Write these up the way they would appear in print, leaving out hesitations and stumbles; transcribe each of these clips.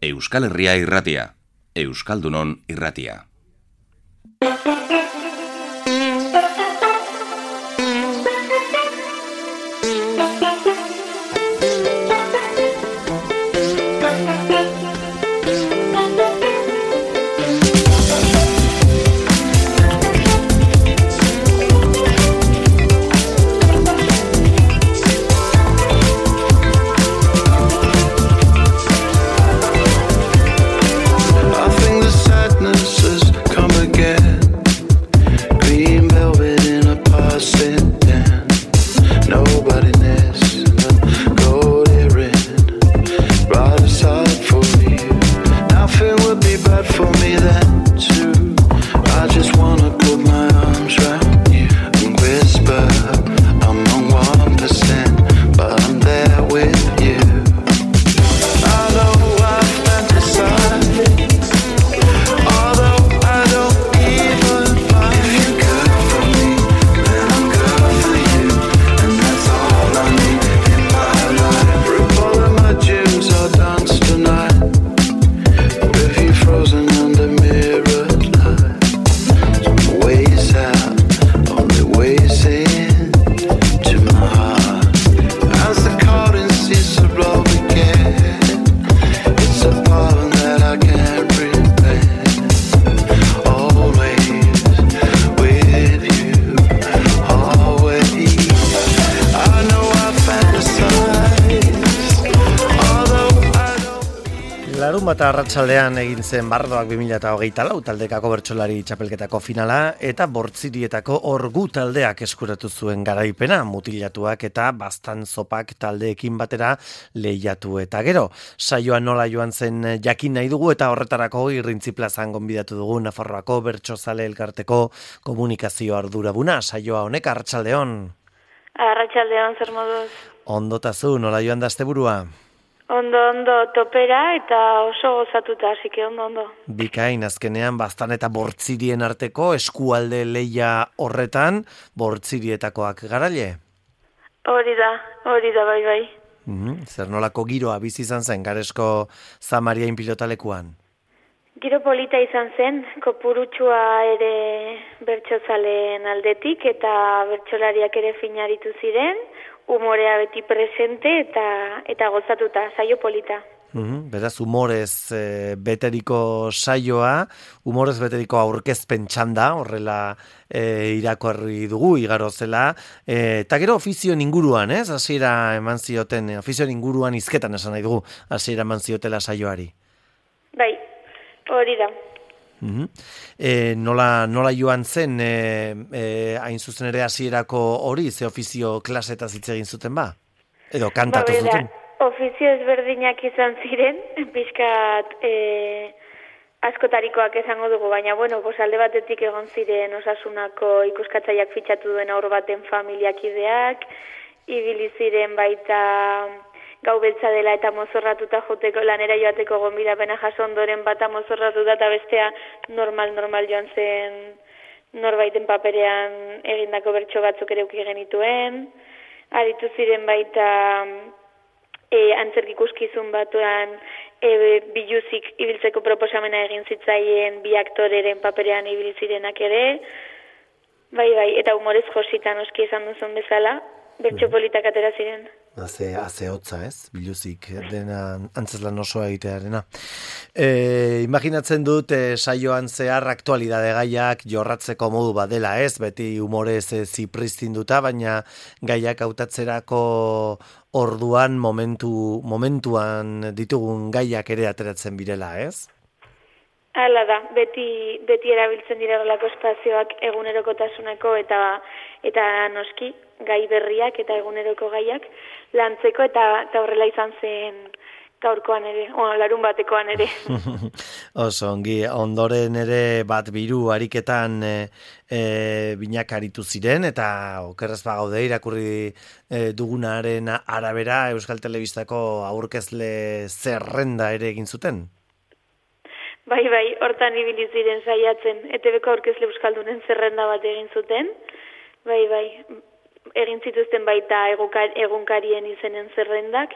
Euskal Herria irratia, Euskaldunon irratia. Eta arratsaldean egin zen Bardoak 2024 taldekako bertsolari txapelketako finala eta Bortzirietako Orgu taldeak eskuratu zuen garaipena, mutilatuak eta Baztan Zopak taldeekin batera lehiatu eta gero. Saioa nola joan zen jakin nahi dugu eta horretarako Irrintzi plazan gonbidatu dugu Nafarroako Bertsozale Elkarteko komunikazio arduraduna. Saioa honek arratsaldeon. Arratsaldeon, zer moduz? Ondotazu, nola joan da asteburua? Ondo, topera eta oso gozatuta, asike ondo. Bikain, azkenean, Baztan eta Bortzirien arteko eskualde leia horretan, Bortzirietakoak garaile? Hori da, bai. Zer nolako giroa bizi izan zen, Garesko Zamariain pilotalekuan? Giro polita izan zen, kopurutsua ere bertsozaleen aldetik eta bertsolariak ere finaritu ziren, umorea beti presente eta gozatuta, saio polita. Beraz, humorez beteriko saioa, humorez beteriko aurkezpen txanda, horrela irakorri dugu, igaro zela, eta gero ofizioen inguruan, hasiera eman zioten, ofizioen inguruan hizketan esan nahi dugu, hasiera eman ziotela saioari. Bai, hori da. Nola joan zen hain zuzen ere hasierako hori, ze ofizio klasetaz hitz egin zuten ba? Edo kantatu zuten? Ofizio ezberdinak izan ziren, pixkat askotarikoak esango dugu, baina alde batetik egon ziren Osasunako ikuskatzaileak fitxatu duen haur baten familiakideak, ibili ziren baita gau beltza dela eta mozorratuta joteko lanera joateko gonbidapena jaso ondoren bata mozorratuta eta bestea normal joan zen norbaiten paperean egindako bertso batzuk ere uki genituen. Aritu ziren baita antzerki ikuskizun batuan biluzik ibiltzeko proposamena egin zitzaien bi aktoreren paperean ibili zirenak ere. Bai, eta humorez josita noski esan duzun bezala, bertso politak atera ziren. Haze hotza, biluzik, dena antzeslan osoa egitearena. Imaginatzen dut saioan zehar aktualidade gaiak jorratzeko modu badela, beti humorez zipristinduta, baina gaiak hautatzerako orduan momentuan ditugun gaiak ere ateratzen birela, Hala da, beti erabiltzen direlako espazioak egunerokotasuneko eta noski gai berriak eta eguneroko gaiak lantzeko eta horrela izan zen gaurkoan ere, larun batekoan ere. Oso, ondoren ere bat biru ariketan binak aritu ziren eta okerrez bagaude irakurri dugunaren arabera Euskal Telebistako aurkezle zerrenda ere egin zuten. Bai, hortan ibili ziren saiatzen, ETBko aurkezle euskaldunen zerrenda bat egin zuten. Bai, egin zituzten baita egunkarien izenen zerrendak,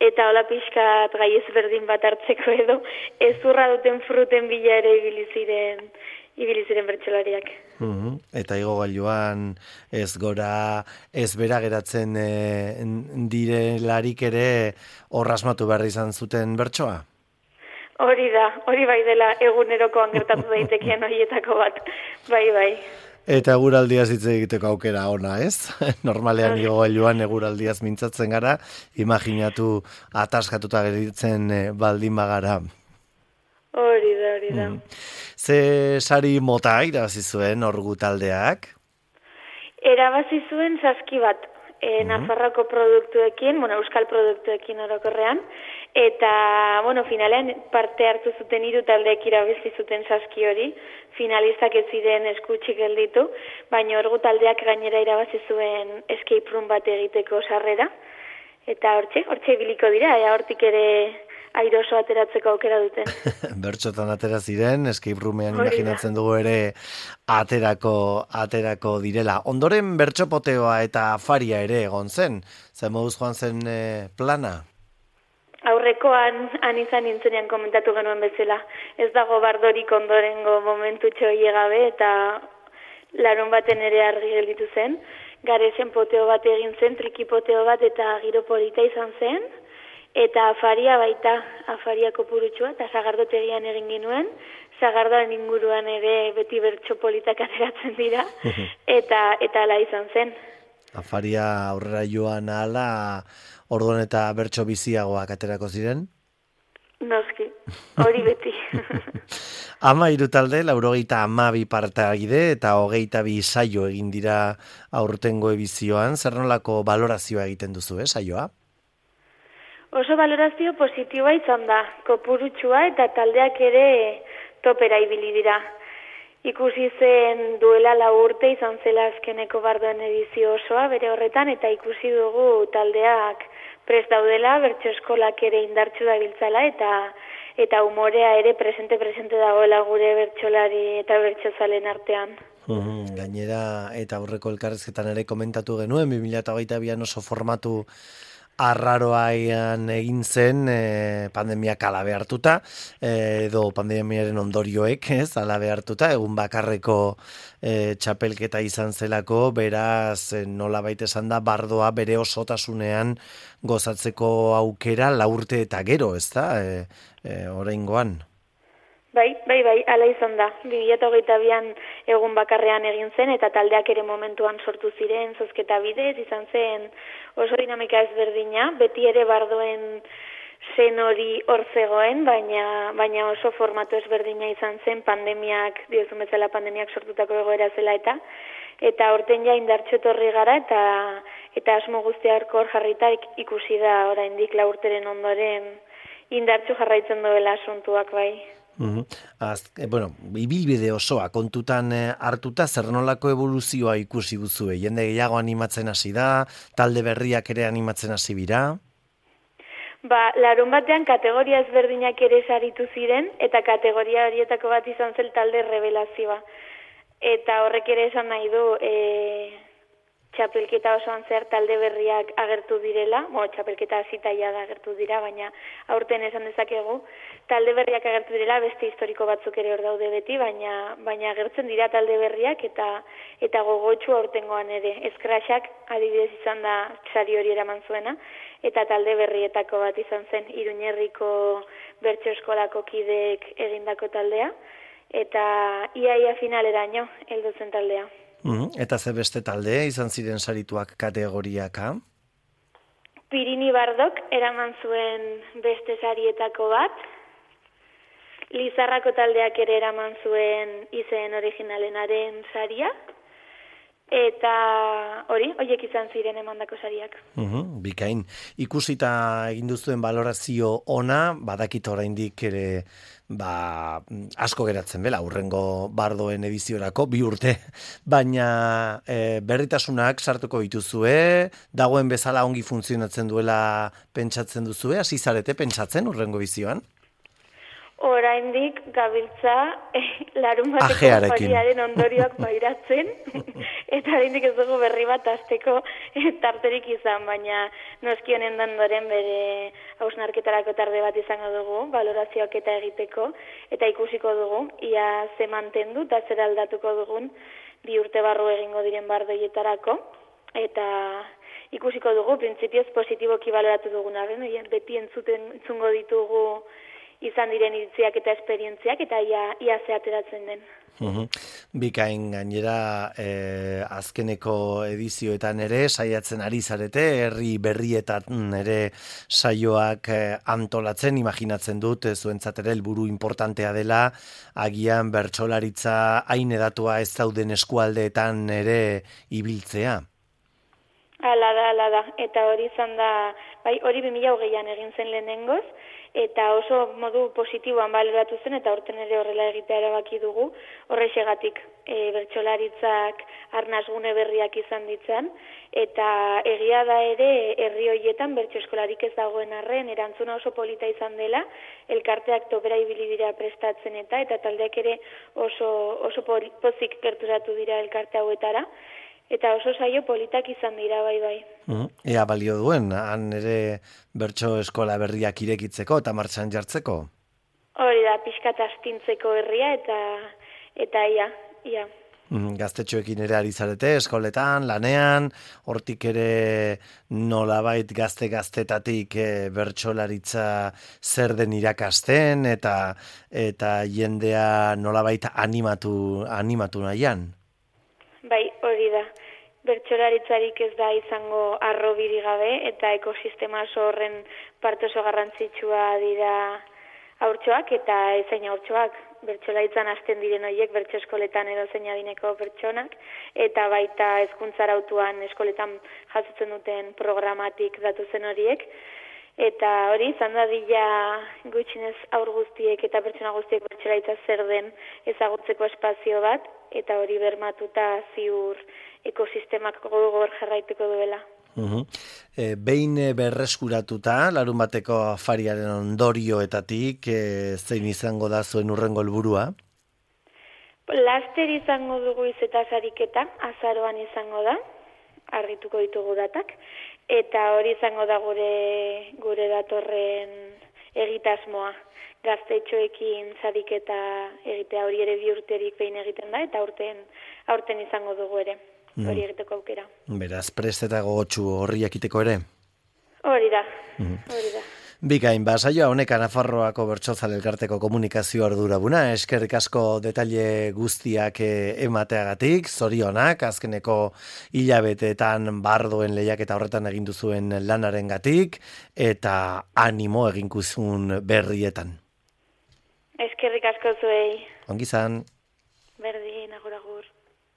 eta hola pixkat gai ezberdin bat hartzeko edo ezurra duten fruten bila ere ibili ziren bertsolariak. Eta igogailuan ez gora, ez bera geratzen direlarik ere horrasmatu behar izan zuten bertsoa? Hori bai dela egunerokoan gertatu daitekeen horietako bat, bai. Eta eguraldiaz hitz egiteko aukera ona, ez? Normalean igogailuan eguraldiaz mintzatzen gara, imaginatu ataskatuta geritzen baldin bagara. Hori da. Ze sari mota irabazi zuen orgu taldeak? Erabazi zuen saski bat, Nafarroko produktuekin, euskal produktuekin orokorrean, eta, finalean parte hartu zuten 3 taldeek irabazi zuten saski hori, finalistak ez ziren eskutxik gelditu, baina orgu taldeak gainera irabazi zuen escape room bat egiteko sarrera, eta hortxe biliko dira, hortik ere airoso ateratzeko aukera duten. Bertxotan atera ziren, escape roomean imaginatzen dugu ere aterako direla. Ondoren bertxopoteoa eta afaria ere egon zen, zer moduz joan zen plana? Aurrekoan izan nintzenean komentatu genuen bezala. Ez dago bardorik ondorengo momentu txoie gabe eta larun baten ere argi gelditu zen. Garezen poteo bat egin zen, trikipoteo bat eta giro polita izan zen. Eta afaria baita, afaria kopurutxua, eta sagardotegian egin ginuen, sagardoan inguruan ere beti bertso politak ateratzen dira, eta ala izan zen. Afaria aurrera joan ahala, orduan eta bertso biziagoak aterako ziren? Noski, hori beti. 13 talde, 92 parteagide eta 22 saio egin dira aurtengo edizioan, zer nolako balorazioa egiten duzu, saioa? Oso balorazio positiboa izan da, kopurutxua eta taldeak ere topera ibili dira. Ikusi zen duela 4 urte izan zela azkeneko bardoen edizio osoa bere horretan, eta ikusi dugu taldeak prest daudela, bertso eskolak ere indartsu dabiltzala, eta umorea ere presente dagoela gure bertsolari eta bertsozalen artean. Gainera, eta aurreko elkarrezketan ere komentatu genuen, 2022an oso formatu arraroaian egin zen pandemiak alabe hartuta, edo pandemiaren ondorioek, alabe hartuta, egun bakarreko txapelketa izan zelako, beraz nolabait esan da bardoa bere osotasunean gozatzeko aukera 4 urte eta gero, ez da, oraingoan. Bai, ala izan da. 2022an egun bakarrean egin zen, eta taldeak ere momentuan sortu ziren, zozketa bidez, izan zen oso dinamika ezberdina, beti ere bardoen zen hori hor zegoen, baina oso formatu ezberdina izan zen pandemiak, diozun bezala pandemiak sortutako egoera zela eta horten ja indartxo etorri gara, eta asmo guztiak hor jarrita ikusi da oraindik 4 urteren ondoren indartxo jarraitzen duela asuntuak bai. Ibilbide osoa kontutan hartuta zer nolako evoluzioa ikusi duzue? Jende gehiago animatzen hasi da, talde berriak ere animatzen hasi dira? Larun batean kategoria ezberdinak ere saritu ziren, eta kategoria horietako bat izan zen talde revelazioa. Eta horrek ere esan nahi du txapelketa osoan zer talde berriak agertu direla, txapelketa hasitaia da agertu dira, baina aurten esan dezakegu, talde berriak agertu direla, beste historiko batzuk ere hor daude beti, baina agertzen dira talde berriak eta gogotsu aurtengoan ere. Eskraxak adibidez izan da sari hori eraman zuena, eta talde berrietako bat izan zen Iruñerriko bertso eskolako kideek egindako taldea, eta ia finaleraino heldu zen taldea. Eta ze beste talde izan ziren sarituak kategoriaka? Pirini Bardok eraman zuen beste sarietako bat, Lizarrako taldeak ere eraman zuen izen originalenaren saria, eta horiek izan ziren emandako sariak. Bikain, ikusita egin duzuen balorazio ona, badakit oraindik ere asko geratzen bela, hurrengo bardoen ediziorako, 2 urte, baina berritasunak sartuko dituzue, dagoen bezala ongi funtzionatzen duela pentsatzen duzue, hasi zarete pentsatzen hurrengo edizioan? Oraindik gabiltza larunbateko Ajearekin. opariaren ondorioak pairatzen, eta oraindik ez dugu berri bat hasteko tarterik izan, baina noski honen ondoren bere hausnarketarako tarde bat izango dugu, balorazioak eta egiteko, eta ikusiko dugu, ia ze mantendu eta zer aldatuko dugun 2 urte barru egingo diren bardoietarako, eta ikusiko dugu, printzipioz positiboki baloratu duguna, beti entzungo ditugu izan diren iritziak eta esperientziak, eta ia ze ateratzen den. Bikain gainera azkeneko edizioetan ere saiatzen ari zarete, herri berrietan ere saioak antolatzen, imaginatzen dut, zuentzat ere helburu importantea dela, agian bertsolaritza hain edatua ez dauden eskualdeetan ere ibiltzea. Hala da, eta hori izan da, bai, hori 2020an egin zen lehenengoz, eta oso modu positiboan baloratu zen, eta horten ere horrela egitea erabaki dugu, horrexegatik bertsolaritzak arnasgune berriak izan ditzan, eta egia da ere herri horietan bertso eskolarik ez dagoen arren, erantzuna oso polita izan dela, elkarteak topera ibili dira prestatzen eta taldeak ere oso pozik gerturatu dira elkarte hauetara, eta oso saio politak izan dira, bai. Ea balio duen, han ere bertso eskola berriak irekitzeko eta martxan jartzeko? Hori da, pixkat astintzeko herria eta ia. Gaztetxoekin ere ari zarete, eskoletan, lanean, hortik ere nolabait gaztetatik bertsolaritza zer den irakasten eta jendea nolabait animatu nahian. Bai, hori da. Bertsolaritzarik ez da izango arrobiri gabe eta ekosistema oso horren parte oso garrantzitsua dira haurtxoak eta ezein haurtxoak. Bertsolaritzan hasten diren horiek bertso eskoletan edo zein adineko pertsonak eta baita hezkuntza arautuan eskoletan jasotzen duten programatik datuzen horiek. Eta hori izan dadila gutxinez haur guztiek eta pertsona guztiek bertsolaritza zer den ezagutzeko espazio bat, eta hori bermatuta ziur ekosistemak gogor jarraituko duela. Behin berreskuratuta, larun bateko afariaren ondorioetatik, zein izango da zuen hurrengo helburua? Laster izango dugu izetaz ariketa, azaroan izango da, argituko ditugu datak, eta hori izango da gure datorren egitasmoa. Gaztetxoekin zariketa egitea, hori ere 2 urterik behin egiten da, eta aurten izango dugu ere, hori egiteko aukera. Beraz, prest eta gogotsu horri jakiteko ere? Hori da. Bikain, saioa honekan Nafarroako Bertsozale Elkarteko komunikazio arduraduna, eskerrik asko detaile guztiak emateagatik, zorionak, azkeneko hilabeteetan bardoen lehiaketa horretan egin duzuen lanarengatik, eta animo eginkuzun berrietan. Eskerrik asko zuei. Ongi zan. Berdin, agur.